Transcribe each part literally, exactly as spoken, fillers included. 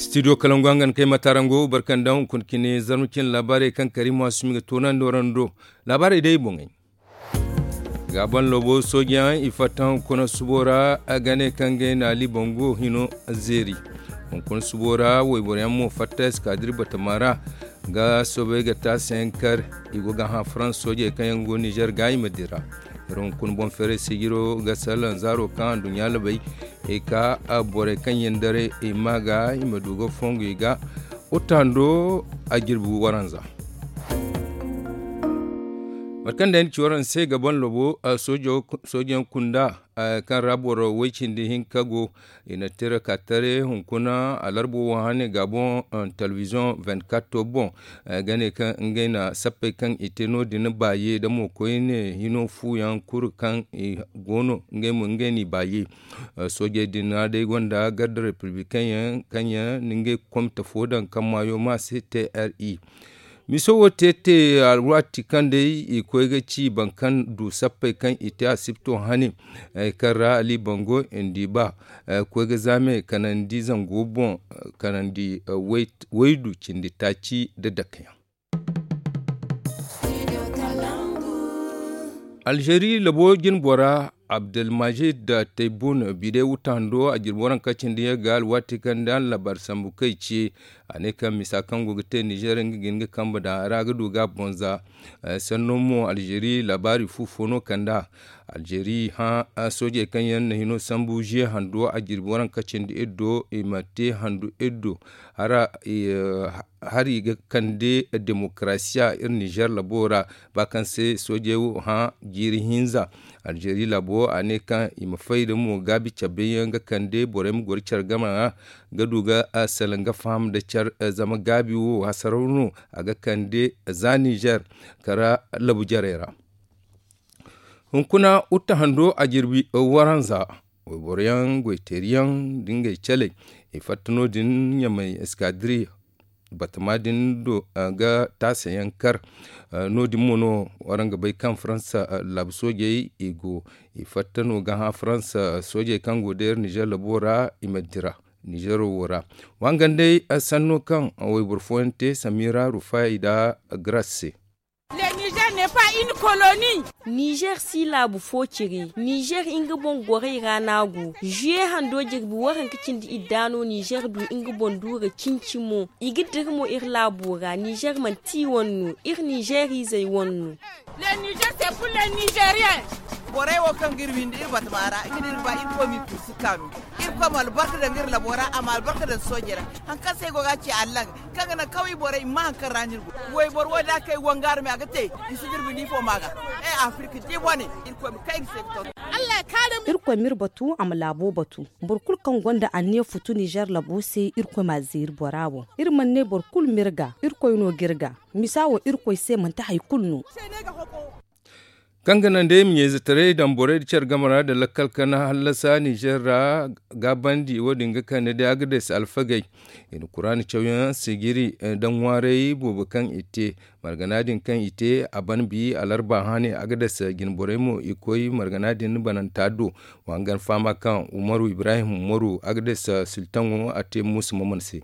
Studio kalangu hangan kay matarango barkandaŋ hunkuna cine zarma cine laabaarey kaŋ kari maasumi ga toonandi warando. Laabaarey day boŋey. Gaaban loobo soojeyaŋ i fatta hunkuna subo ra. Gane kaŋ gay na ali bango hino zeeri. Hunkuna subo ra wayboroyaŋ mo fatta eskaadir batama ra ga soobay ga taasa yaŋ kar. I go ga hã farans soojey kaŋ yaŋ go nizer ga i ma dira. Iri hunkuna boŋ feeray sijiro ga salaŋ zaaro kaŋ anduɲɲa labay. I ka borey kaŋ yaŋ daray i ma ga i ma du ga fongu i ga. Uttando a jirbi waranza. Mate kaŋ day ni ci waraŋ se ga ban lobo soojeyaŋ kunda kaŋ ra boro way cindi hinka go. I na tira ka tare hunkuna alarbo wo hane ga boŋ. Telebiziyoŋ vingt-quatre boŋ ga ne kaŋ ngey na sappey kaŋ i te no- din baaye da mo koyne hino fuuyaŋ kuru kaŋ i go no ngey mo ngey n'i baaye. Soojey din ra day gonda garda republikaŋ yaŋ kaŋ yaŋ na ngey komite fo daŋ kaŋ maayo ma se te r i. Miso wo te te alwaati kaŋ day i koy ga ci boro kaŋ du sappey kaŋ i te asibto hane kaŋ ra ali bango ndi ba koy ga zaame kanandi zango boŋ kanandi waydu cindi taaci nda dakka yaŋ. Alzeeri labo jinbora abdelmajid taybun bide wutando a jirbi waranka cindi yaŋ ga alwaati kaŋ da labar sambu kay ce. A ne kaŋ misa kaŋ go ga te nizer nga ga hin ga kambe daŋ a ra ga du ga a bonza. Sanno mo alzeeri laabaari fu fo no kand'a. Alzeeri hã soojey kaŋ yaŋ na hino sambu ziye hando a jirbi waranka cindi iri do i ma te handu iri do. Hari ga kande demokarasiya iri nizer labo ra ba kaŋ se soojey wo hã jiiri hinza. Alzeeri labo a ne kaŋ i ma fay da mo gaabi cabe yaŋ ga kande borey ma goro care game ra ga du ga salaŋ ga faham nda care zama gaabi wo hasaraw no a ga kande za nizer kara labu jarey ra. Hunkuna utte hando a jirbi waranza wayboro yaŋ goyteeri yaŋ nda ngey caley i fatta no- din ɲamay eskadiri batama din do ga taasa yaŋ kar. No- din mo no waraŋ ga bay kaŋ faransa laabu soojey i go i fatta no ga hã faransa soojey kaŋ go day iri nizer labo ra i ma dira nizero wo ra. Wa hangan day sanno kaŋ wayboro fooyaŋ te samira rufay nda garas se. Nizer si laabu fo cire nizer nga boŋ gorey ra no a go. Zuye hando jirbi waranka cindi idda no nizer du nga boŋ duura cinci mo. I ga dira mo iri laabo ra nizer manti i wane no iri nizer izey wane no. Borey wo kaŋ ga iri windi iri batama ra nga no iri ba irkoy m'i kursu kaanu. Irkoy ma albarka daŋ iri labo ra a ma albarka daŋ soojey ra. Hari kaŋ se ay go ga a ci allaŋ kaŋ ga naŋ kawai borey ma haŋ kaŋ ra no iri go. Wayboro wo da a kay wangaari me a ga te i si jirbi ni fo ma ga. Ay afirka di bone. Irkoy ma kay iri se ga tonton. Irkoy ma iri batu a ma laabo batu. Boro kulu kaŋ gonda anniya futu nizer labo se irkoy m'a zeeri bora boŋ. Iri mana ne boro kulu ma iri ga irkoy no ga iri ga. Misa wo irkoy se manti hari kulu no. Kaŋ ga naŋ day i ma ɲayzetaray daŋ borey nda care game ra nda lakkal kana hallasa nizer ra. Gaabandi wo- din ga kande day agades alfagey. I na kuraana cawyaŋ sijiri nda ŋwaaray boobo kaŋ i te. Margana din kaŋ i te a ban bi alarba hane agades jinborey mo i koy margana din bananta do. Wa hangan fahama kaŋ umaru ibrahim umaru agades siltaŋo a te muusu maman se.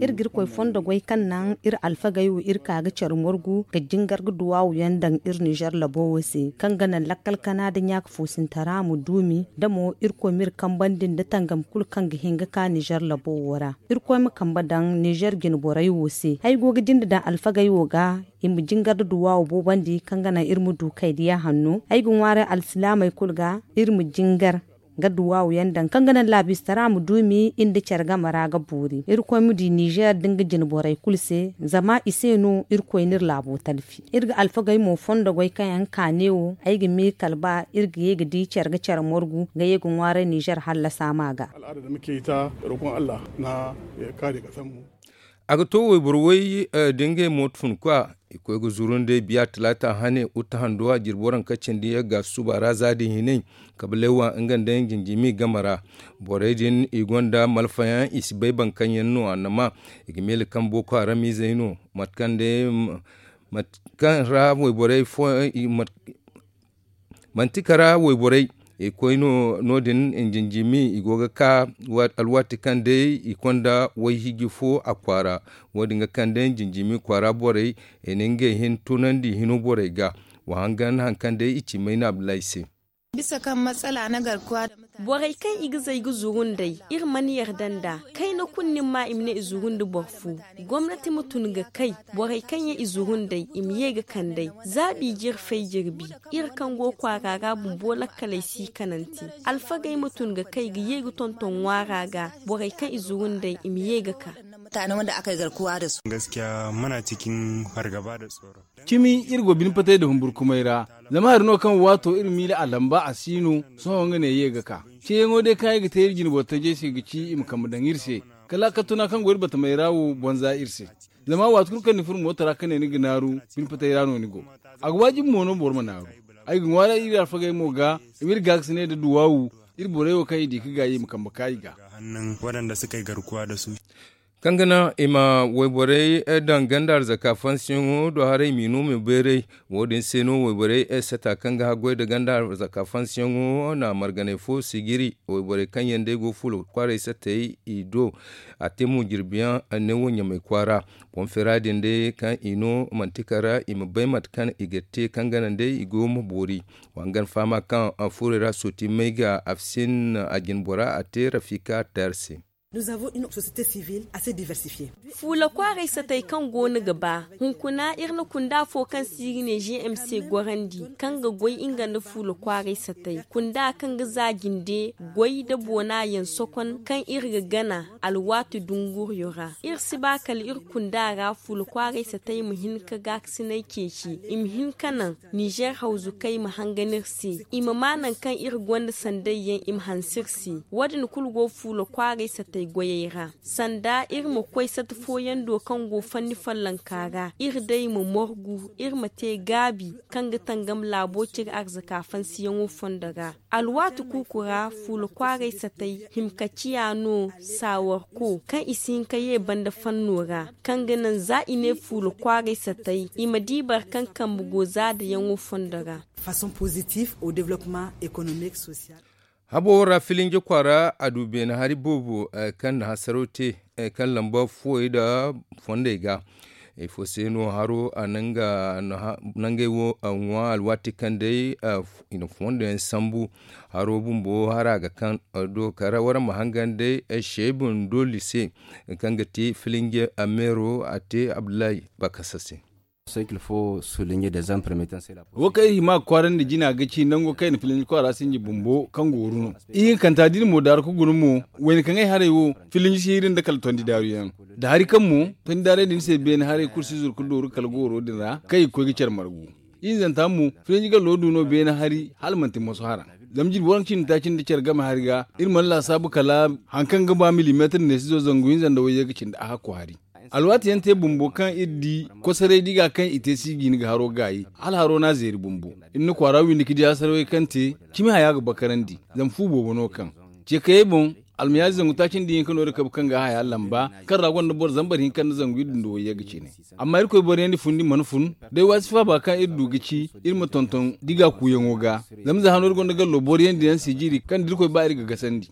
Iri ga irkoy fondo goy kaŋ naŋ iri alfagey wo iri ka ga care morgu ga jingar ga duwaawu yaŋ daŋ iri nizer labo wo se kaŋ ga naŋ lakkal kana nda ɲaaka foosintara ma duumi da mo irkoy ma iri kambandi nda tangam kulu kaŋ ga hin ga ka nizer labo wo ra. Irkoy ma kambe daŋ nizer jinborey wo se ay go ga jinde daŋ alfagey wo ga i ma jingar nda duwaawu boobandi kaŋ ga naŋ iri ma du kaydiya hanno ay ga ŋwaaray alsilaamey kulu ga iri ma jingar ga duwaawu yaŋ daŋ kaŋ ga naŋ laabistara ma duumi iri nda care game ra ga boori irkoy ma di nizer nda nga jine borey kulu se zama i se no irkoy n'iri laabo talfi iri ga alfagey mo fondo goy kaŋ yaŋ kaane wo ay ga miiri kala ba iri ga ye ga di care ga care morgu ga ye ga ŋwaaray nizer hallasa ma ga. A ga to wayboro way da ngey mooto fun kwa i koy ga zuru nd'ey biya talaata hane utte hando a jirbi waranka cindi yagga suba ra za din hinay kabalay wa nga nda jinjimi game ra. Borey din i gonda malfayaŋ i si bay boro kaŋ yaŋ no annama i ga meele kaŋ booko haram izey no mate kaŋ day mate kaŋ ra wayborey fooyaŋ manti kara wayborey I koy no no- din, jinjimi i go ga ka alwaati kaŋ day i konda wayhiji fo a kwaara. Wo- din ga kande jinjimi kwaara borey, i na ngey hin tunandi hino borey ga. Wa hangan hari kaŋ day i ci mayna abdullahi se. Bisa kaŋ matsala na garkuwa da mutane. Borey kaŋ i ga zay ga zuru nd'ey, iri mana yarda nd'a. Kayna kulu nin ma i ma ne i zuru nda boro fo. Gomnati ma tun ga kay, borey kaŋ yaŋ i zuru nd'ey i ma ye ga kand'ey. Za b'i jirfay jirbi, iri kaŋ go kwaara ra bumbo lakkaley si kanante. Alfagey ma tun ga kay ga ye ga tonton ŋwaara ga, borey kaŋ i zuru nd'ey i ma ye ga ka. Mutane wanda aka yi garkuwa da su. Gaskiya muna cikin fargaba da tsoro. Cimi iri go bine patay da humburkumay ra. Zama hari no kaŋ waato iri miila a lamba a si no. Sohõ nga ne ye ga ka. Ceeyaŋo day kaŋ ay ga te iri jine boro tajey se ga ci i ma kambe daŋ iri se. Kala a kattuna kaŋ go iri batamey ra wo boŋ za iri se. Zama waati kulu kaŋ ni furo mooto ra ka ne ni ga naaru, bine patay ra no ni go. A ga waajibi mo no boro ma naaru. Ay ga ŋwaaray iri alfagey mo ga, i ma iri gaakasinay nda duwaawu. Iri borey wo kaŋ i di ka gaayi i ma kambe ka i ga. Kaŋ ga naŋ i ma wayborey daŋ ganda arzaka fansiyaŋo do haray m'i no ma beeray. Wo- din se no wayborey sata kaŋ ga haggoy nda ganda arzaka fansiyaŋo na marganay fo sigiri. Wayborey kaŋ yaŋ day go fuula kwaaray satey i do. A te mo jirbiyaŋ ne wo ɲamay kwaara. Boŋ feera din day kaŋ i no manti kara i ma bay mate kaŋ i ga te kaŋ ga naŋ day i go ma boori. Wa hangan fahama kaŋ fuurey ra sooti may ga afsin a jine bora a te rafika tayar se. Fuula kwaaray satey kaŋ go no ga ba hunkuna iri na kunda fo kaŋ se i ga ne g m c gorandi, kaŋ ga goy nga nda fuula kwaaray satey kunda kaŋ ga za jinde goy nda boona yaŋ sokon kaŋ iri ga gana alwaati dunguriyo ra. Iri si ba kala iri kunda ra fuula kwaaray satey ma hin ka gaakasinay ceeci i ma hin ka naŋ nizer hawzukey ma hangan iri se i ma maa naŋ kaŋ iri gonda sanday yaŋ i ma hanse iri se. Wo- din kulu go fuula kwaaray satey goyey ra. Sanda iri ma koy sata fooyaŋ do kaŋ go fanni follonka ra iri day ma morgu iri ma te gaabi kaŋ ga tangam laabo cire arzaka fansiyaŋo fondo ra. Alwaati kuuku ra fuula kwaaray satey himka ciya no saawarko kaŋ i si hin ka ye banda fanno ra kaŋ ga naŋ za i ne fuula kwaaray satey i ma di boro kaŋ kambe go zaadayaŋo fondo ra. Façon positive au développement économique social. Habo ra filinje kwaara a du beene hari boobo kaŋ na hasaraw te kaŋ lamba fuwey nda fondey ga. Ifo se no haro a nangey wo ŋwa alwaati kaŋ day i na fondo yaŋ sambu. Haro bumbo hara ga kaŋ do kara wara ma hangan day sheebun doli se kaŋ ga ti filinje meero a te abdullahi bakasa se. Wo kaŋ iri hima ga kwaarandi jina ga ci nango kaŋ i na filinji kwaara sinji bumbo kaŋ gooru no. Ihinkanta da iri mo daaru ka guna mo wayna kaŋ ay haray wo filinji si hiri nda kala tondi daaru yaŋ. Da hari kaŋ mo tondi daarey din se beene haray kulu si zuru ka dooru kala gooro din ra kaŋ i ga koy ga care margu. Ihinzanta mo filinji gallo du no beene hari hala manti moso hara. Zama jirbi waranka cindi taaci nda care game hari ga iri mana laasaabu kala hari kaŋ ga ba milimeetir neesizo zangu hinza nda wayye ga cindi a hakko hari. Alwaati yaŋ te bumbo kaŋ iri di kosoray diga kaŋ i te si jiini ga haro gaayi hala haro no a zeeri bumbo. Iri na kwaara windi ka di hasarawey kaŋ te cimi haya ga bakarandi. Zama fu boobo no kaŋ ce kayey boŋ almayaari zangu taaci nda ihinka no iri kabe kaŋ ga haya lamba kaŋ ra gonda boro zambar hinka nda zangu iddu nda wayye ga cine. Amma irkoy boro yaŋ di fundi mana fun day waasi faaba kaŋ iri du ga ci iri ma tonton diga kuuyaŋo ga. Zama za hano iri gonda gallo boro yaŋ di yaŋ si jiiri kaŋ da irkoy ba iri ga gasandi.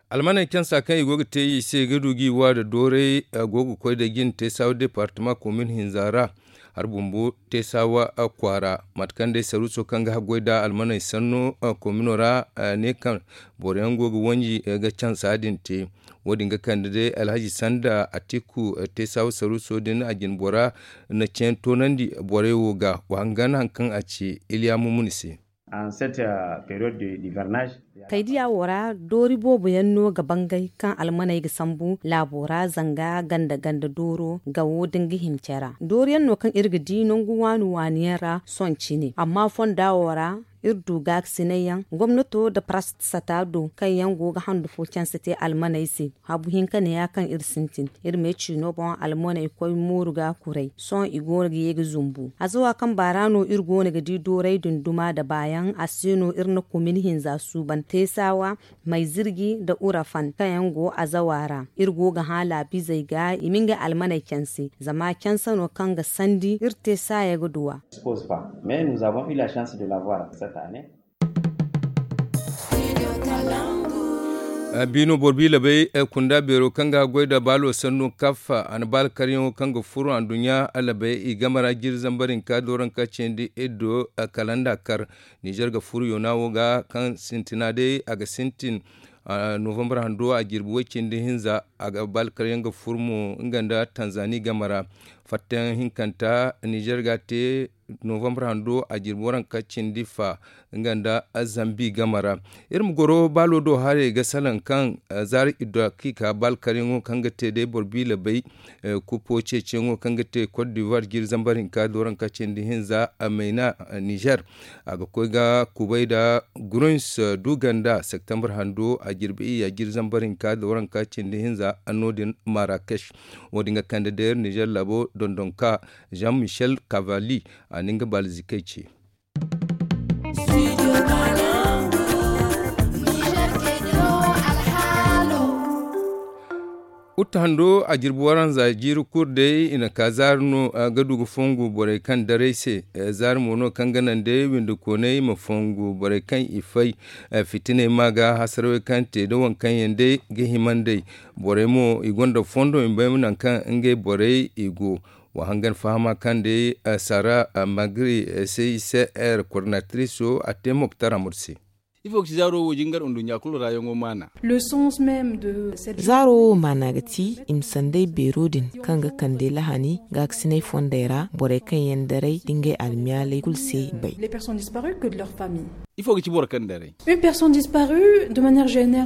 Almaney cansa kaŋ i go ga te i se ga du ga i wa da dooray go ga koy da jin teesawa departama komin hinza ra. Hari bumbo teesawa kwaara mate kaŋ day saruuso kaŋ ga haggoy da almaney sanno komino ra ne kaŋ boro yaŋ go ga wanji ga cansa din te. Wo- din ga kande day alhaji sanda atiku teesawa saruuso din a jine bora na ceeni toonandi borey wo ga wa hangan hari kaŋ a ci iliya mumuni se. Kaydiya wo ra doori boobo yaŋ no ga bangay kaŋ almaney ga sambu laabo ra zanga ganda ganda dooro ga wo da nga himce ra doori yaŋ no kaŋ iri ga di nangu waani waani yaŋ ra sohõ cine amma fonda wo ra iri du gaakasinay yaŋ gomnato nda parasata do kaŋ yaŋ go ga handu fo canse te almaney se. Habu hinka neeya kaŋ iri sintin iri ma ay ciino boŋ almaney koy mooru ga kuray sohõ i go no ga ye ga zumbu azawa kaŋ baara no iri go no ga di dooray din duma nda baayaŋ a se no iri na komin hinza suuban teesawa maizirji nda urafan kaŋ yaŋ go azawa ra. Iri go ga hã laabizey ga i ma ngey almaney canse zama canse no kaŋ ga sandi iri te saaya ga duw'a. Biino boro bi labey kunda beero kaŋ ga goy da baalo sannu kaffa a na baala karyaŋo kaŋ ga furo anduɲɲa labey i game ra jiiri zambar hinka dooranka cindi iddo kalanda kar. Nizer ga furo yoona wo ga kaŋ sintina day a ga sintin novambar hando a jirbi way cindi hinza a ga baala karyaŋ ga furo mo nga nda tanzani game ra. Fattayaŋ hinkanta nizer ga te novambar hando a jirbi waranka cindi fa nga nda zambi game ra. Iri ma goro baalo do haray ga salaŋ kaŋ zaari iddo ga ka baala karyaŋo kaŋ ga te day boro bi labey kupo ceeciyaŋo kaŋ ga te kot divuwar jiiri zambar hinka dooranka cindi hinza mayna nizer. A ga koy ga kubay nda grunz du ganda septembar hando a jirbi iyya jiiri zambar hinka dooranka cindi hinza no- din marakech. Wo- din ga kande deer nizer laabo dondonka jean michel cavalli a na nga baalzikey ce. Uta hando a jirbi waranza jiiri kulu day i na ka zaari no ga du ga fongu borey kaŋ daray se. Zaari mo no kaŋ ga naŋ day windi koonay ma fongu borey kaŋ i fay fitiney ma ga hasarawey kaŋ te da waŋ kaŋ yaŋ day ga hima nd'ey. Borey mo i gonda fondo i ma bay nangu kaŋ ngey borey i go. Wa hangan fahama kaŋ day sara magri cicr coordinatriso a te moktar amur se. Ifo ga ci zaaro wo jingar nduɲɲa kulu ra yaŋo maana. Zaaro wo maana ga ti i ma sanday beero din kaŋ ga kande lahani gaakasinay fondey ra borey kaŋ yaŋ daray da ngey almiyaaley kulu se bay. Ifo ga ci boro kaŋ daray?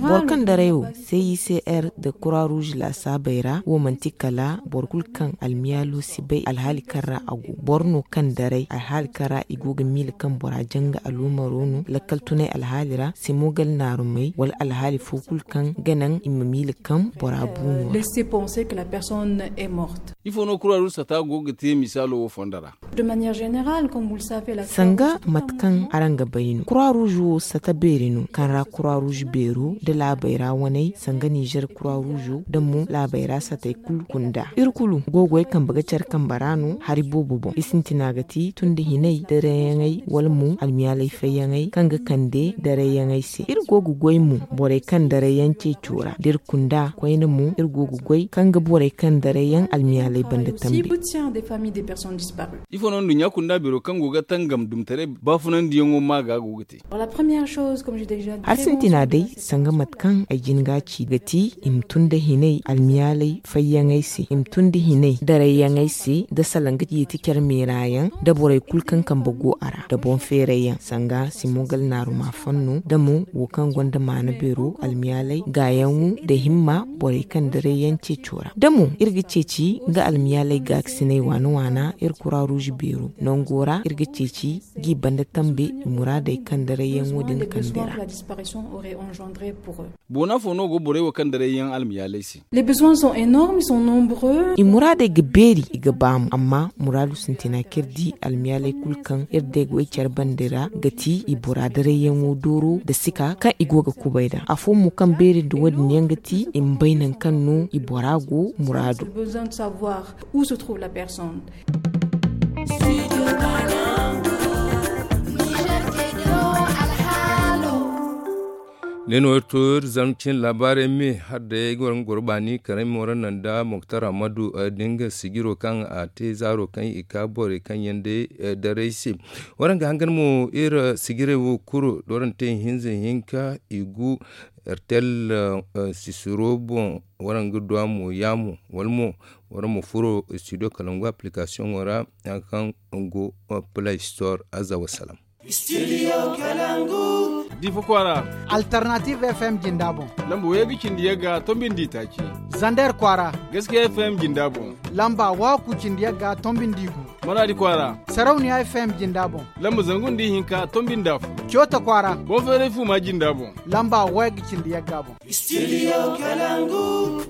Boro kaŋ daray wo cicr nda croix rouge laasaabey ra wo manti kala boro kulu kaŋ almiyaalo si bay alhaali kaŋ ra a go. Boro no kaŋ daray alhaali kaŋ ra i go ga miila kaŋ bora janga aluumaro no lakkal tunay alhaali ra simogal naarumey wala alhaali fo kulu kaŋ ga naŋ i ma miila kaŋ bora bu no ra. Ifo no croix rouge sata go ga te misaalo wo fondo ra? Sanga mate kaŋ araŋ ga bay no croix rouge wo sata beeri no kaŋ ra croix rouge beero nda laabey ra waney sanga nizer croix rouge nda mo laabey ra satey kulu kunda iri kulu go ga goy kambe ga care kambe ra no hari boobo boŋ i sintina ga ti tun da hinay darayyaŋey wala mo almiyaalay fayyaŋey kaŋ ga kande darayyaŋey se iri go ga goy mo borey kaŋ darayyaŋ ceeco ra da iri kunda koyne mo iri go ga goy kaŋ ga borey kaŋ darayyaŋ almiyaalay banda tambe. Ifo no nduɲɲa kunda beero kaŋ go ga tangam dumtaray baafunandiyaŋo ma ga go ga te? Hari sintina day sanga mate kaŋ ay jin ga ci ga ti i ma tun da hinay almiyaalay fayyaŋey se i ma tun da hinay darayyaŋey se da salaŋ ga yeeti care meera yaŋ da borey kulu kaŋ kambe go a ra da boŋ feeray yaŋ sanga simogal naaruma fanno da mo wo kaŋ gonda maana beero almiyaalay gaayaŋo da himma borey kaŋ daray yaŋ ceeco ra da mo iri ga ceeci nga almiyaalay gaakasinay waana waana iri croix rouge beero nango ra iri ga ceeci g'i banda tambe i muraadey kaŋ daray yaŋo din kande ra. Boona fo no go borey wo kaŋ daray yaŋ almiyaalay se? I muraadey ga beeri i ga baamu amma muraadu sintina kaŋ iri di almiyaaley kulu kaŋ iri day ga way care bande ra ga ti i bora daray yaŋo dooro nda sika kaŋ i go ga kubay nd'a afo mo kaŋ beeri nda wo- din yaŋ ga ti i ma bay nangu kaŋ no i bora go muraado. Ne no iri to iri zarma cine laabaarey me hala day ay ga war nga goro baani karay mo ra naŋ nda moktar ammadu da nga sijiro kaŋ a te zaaro kaŋ i ka borey kaŋ yaŋ day daray se. War nga hangan mo iri sijirey wo kulu da war na te ihinza ihinka i gu ertel sisiro boŋ. War nga du a mo yaamo wala mo war ma furo studio kalangu application wo ra kaŋ go play store. Azza wa salam. Studio kalangu. Difa kwaara. Alternative fm jinda boŋ. Lamba wayga cindi yagga tombindi taaci. Zander kwaara. Gaskiya fm jinda boŋ. Lamba waku cindi yagga tombindi gu. Maradi kwaara. Sarauniya fm jinda boŋ. Lamba zangu nda ihinka tombindi afo. Coota kwaara. Boŋ feeray fuma jinda boŋ. Lamba wayga cindi yagga boŋ. Studio kalangu.